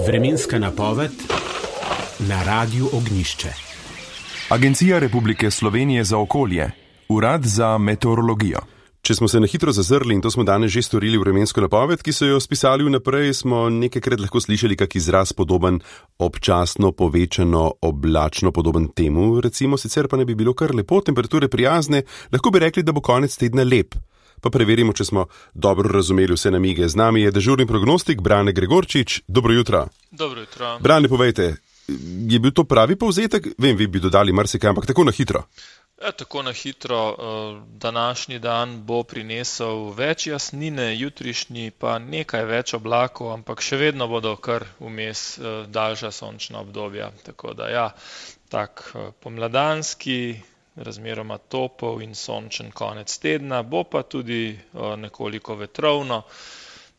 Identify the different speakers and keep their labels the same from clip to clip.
Speaker 1: Vremenska napoved na Radiu Ognjišče.
Speaker 2: Agencija Republike Slovenije za okolje, Urad za meteorologijo.
Speaker 3: Če smo se na hitro zazrli, in to smo danes že storili v vremensko napoved, ki so jo spisali vnaprej, smo nekajkrat lahko slišali kak izraz podoben občasno, povečano, oblačno, podoben temu, recimo, sicer pa ne bi bilo kar lepo, temperature prijazne, lahko bi rekli, da bo konec tedna lep. Pa preverimo, če smo dobro razumeli vse namige. Z nami je dežurni prognostik Brane Gregorčič. Dobro jutro.
Speaker 4: Dobro jutro.
Speaker 3: Brane, povejte, je bil to pravi povzetek? Vem, vi bi dodali marsikaj, ampak tako na hitro.
Speaker 4: Tako na hitro. Današnji dan bo prinesel več jasnine, jutrišnji pa nekaj več oblakov, ampak še vedno bodo kar vmes daljša sončna obdobja. Tako da ja, tak pomladanski, razmeroma topel in sončen konec tedna, bo pa tudi nekoliko vetrovno.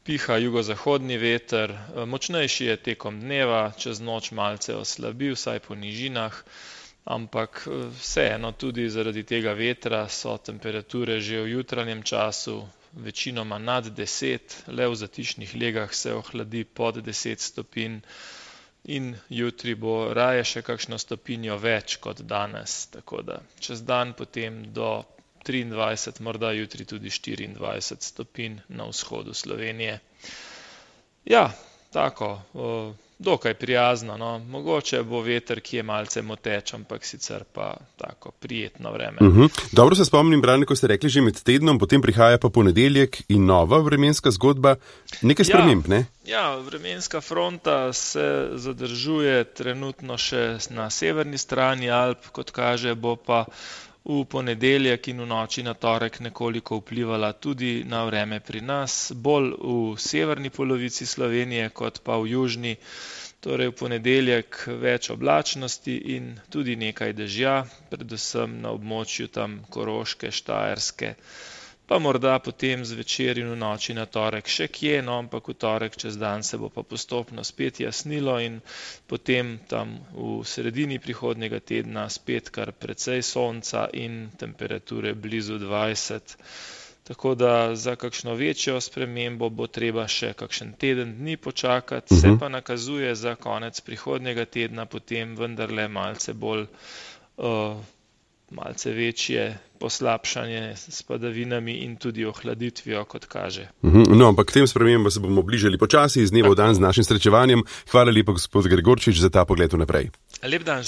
Speaker 4: Piha jugozahodni veter, močnejši je tekom dneva, čez noč malce oslabi, vsaj po nižinah, ampak vseeno tudi zaradi tega vetra so temperature že v jutranjem času večinoma nad 10, le v zatišnih legah se ohladi pod 10 stopinj. In jutri bo raje še kakšno stopinjo več kot danes, tako da čez dan potem do 23, morda jutri tudi 24 stopinj na vzhodu Slovenije. Ja, tako, dokaj prijazno, no. Mogoče bo veter, ki je malce moteč, ampak sicer pa tako prijetno vreme.
Speaker 3: Dobro se spomnim, Brane, ko ste rekli že med tednom, potem prihaja pa ponedeljek in nova vremenska zgodba. Nekaj sprememb, ne?
Speaker 4: Ja, vremenska fronta se zadržuje trenutno še na severni strani Alp, kot kaže, bo pa v ponedeljek in v noči na torek nekoliko vplivala tudi na vreme pri nas, bolj v severni polovici Slovenije kot pa v južni. Torej v ponedeljek več oblačnosti in tudi nekaj dežja, predvsem na območju tam Koroške, Štajerske. Pa morda potem zvečer in v noči na torek še kje, no, ampak v torek čez dan se bo pa postopno spet jasnilo in potem tam v sredini prihodnjega tedna spet kar precej sonca in temperature blizu 20. Tako da za kakšno večjo spremembo bo treba še kakšen teden dni počakati, se pa nakazuje za konec prihodnjega tedna potem vendarle malce bolj malce večje poslabšanje s padavinami in tudi ohladitvijo, kot kaže.
Speaker 3: No, ampak k tem spremembam se bomo bližali počasi, iz dneva v dan z našim srečevanjem. Hvala lepa, gospod Gregorčič, za ta pogled vnaprej.
Speaker 4: Lep dan.